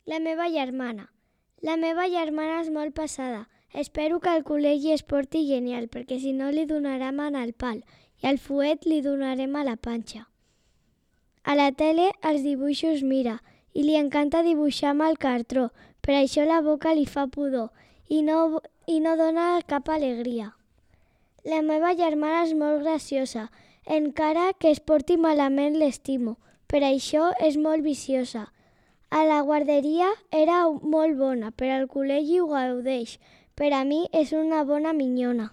La meva germana. La meva germana és molt passada. Espero que al col·legi es porti genial, perquè si no li donarem en el pal i al fuet li donarem a la panxa. A la tele els dibuixos mira i li encanta dibuixar amb el cartró, per això la boca li fa pudor i no dona cap alegria. La meva germana és molt graciosa, encara que es porti malament l'estimo, per això és molt viciosa. A la guarderia era molt bona, però al col·legi ho gaudeix. Per a mi és una bona minyona.